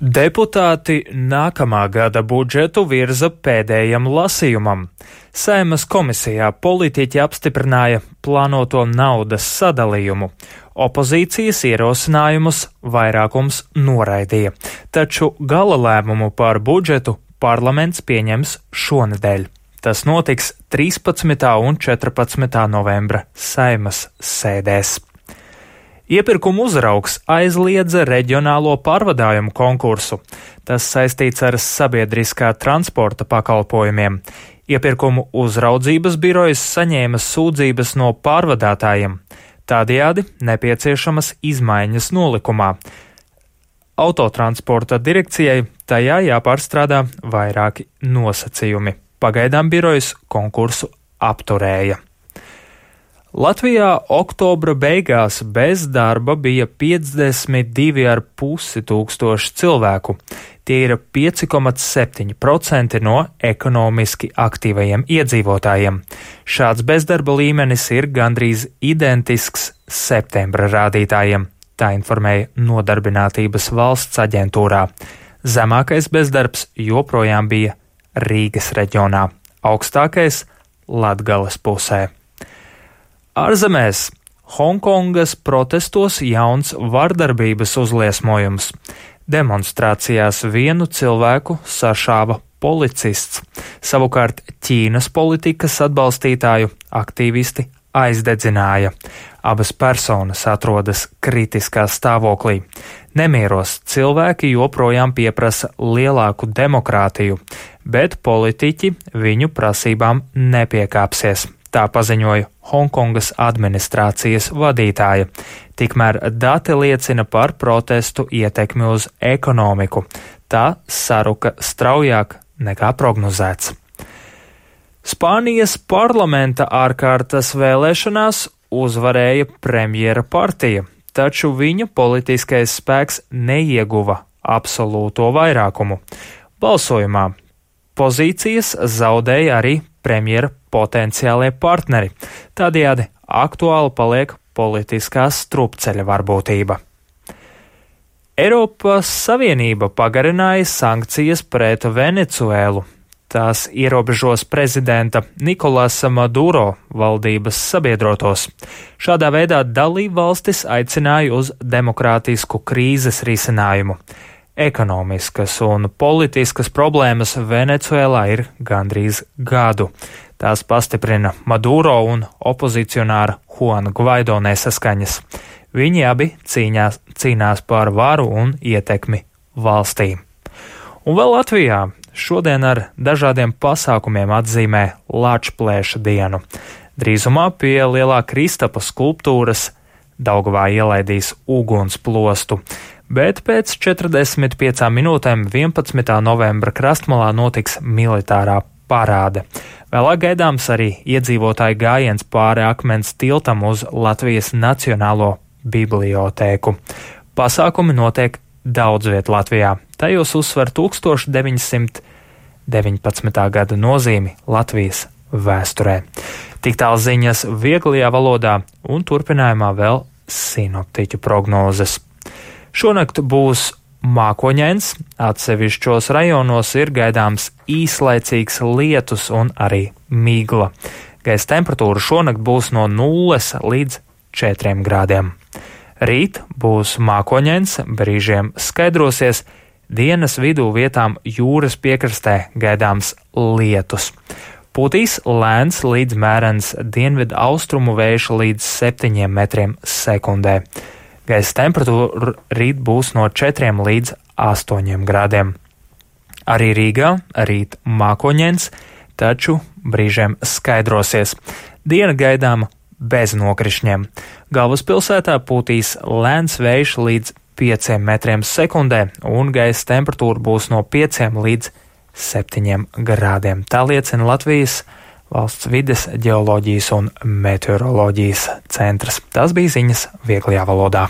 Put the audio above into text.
Deputāti nākamā gada budžetu virza pēdējam lasījumam. Saeimas komisijā politiķi apstiprināja plānoto naudas sadalījumu. Opozīcijas ierosinājumus vairākums noraidīja, taču gala lēmumu par budžetu parlaments pieņems šonedēļ. Tas notiks 13. un 14. novembra Saeimas sēdēs. Iepirkuma uzraugs aizliedza reģionālo pārvadājumu konkursu. Tas saistīts ar sabiedriskā transporta pakalpojumiem. Iepirkumu uzraudzības birojas saņēma sūdzības no pārvadātājiem. Tādējādi nepieciešamas izmaiņas nolikumā. Autotransporta direkcijai tajā jāpārstrādā vairāki nosacījumi. Pagaidām birojas konkursu apturēja. Latvijā oktobra beigās bez darba bija 52,5 tūkstoši cilvēku. Tie ir 5,7% no ekonomiski aktīvajiem iedzīvotājiem. Šāds bezdarba līmenis ir gandrīz identisks septembra rādītājiem, tā informēja Nodarbinātības valsts aģentūrā. Zemākais bezdarbs joprojām bija Rīgas reģionā, augstākais Latgales pusē. Ārzemēs Honkongas protestos jauns vardarbības uzliesmojums. Demonstrācijās vienu cilvēku sašāva policists. Savukārt Ķīnas politikas atbalstītāju aktīvisti aizdedzināja. Abas personas atrodas kritiskā stāvoklī. Nemieros cilvēki joprojām pieprasa lielāku demokrātiju, bet politiķi viņu prasībām nepiekāpsies. Tā paziņoja Honkongas administrācijas vadītāja. Tikmēr dati liecina par protestu ietekmi uz ekonomiku. Tā saruka straujāk nekā prognozēts. Spānijas parlamenta ārkārtas vēlēšanās uzvarēja premjera partija, taču viņa politiskais spēks neieguva absolūto vairākumu. Balsojumā pozīcijas zaudēja arī premjera potenciālie partneri. Tādējādi aktuāli paliek politiskā strupceļa varbūtība. Eiropas Savienība pagarināja sankcijas pret Venecuēlu. Tās ierobežos prezidenta Nikolasa Maduro valdības sabiedrotos. Šādā veidā dalībvalstis aicināja uz demokrātisku krīzes risinājumu. Ekonomiskas un politiskas problēmas Venecuēlā ir gandrīz gadu. Tās pastiprina Maduro un opozicionāra Juana Guaido nesaskaņas. Viņi abi cīnās par varu un ietekmi valstī. Un vēl Latvijā šodien ar dažādiem pasākumiem atzīmē Lāčplēša dienu. Drīzumā pie Lielā Kristapa skulptūras Daugavā ielaidīs ugunsplostu, bet pēc 45 minūtēm 11. novembra Krastmalā notiks militārā parāde. Vēlāk gaidāms arī iedzīvotāju gājiens pāri akmens tiltam uz Latvijas Nacionālo bibliotēku. Pasākumi notiek daudz viet Latvijā. Tajos uzsver 1919. gada nozīmi Latvijas vēsturē. Tik tālu ziņas vieglajā valodā un turpinājumā vēl sinoptiķu prognozes. Šonakt būs mākoņains, atsevišķos rajonos ir gaidāms īslaicīgs lietus un arī migla. Gaisa temperatūra šonakt būs no 0 līdz 4 grādiem. Rīt būs mākoņains, brīžiem skaidrosies, dienas vidū vietām jūras piekrastē gaidāms lietus. Pūtīs lēns līdz mērens dienvidu austrumu vējš līdz 7 metriem sekundē. Gaisa temperatūra rīt būs no 4 līdz 8 grādiem. Arī Rīgā rīt mākoņains, taču brīžiem skaidrosies. Diena gaidāma bez nokrišņiem. Galvaspilsētā pūtīs lēns vējš līdz 5 metriem sekundē un gaisa temperatūra būs no 5 līdz 7 grādiem. Tā liecina Latvijas Valsts vides, ģeoloģijas un meteoroloģijas centrs. Tas bija ziņas vieglajā valodā.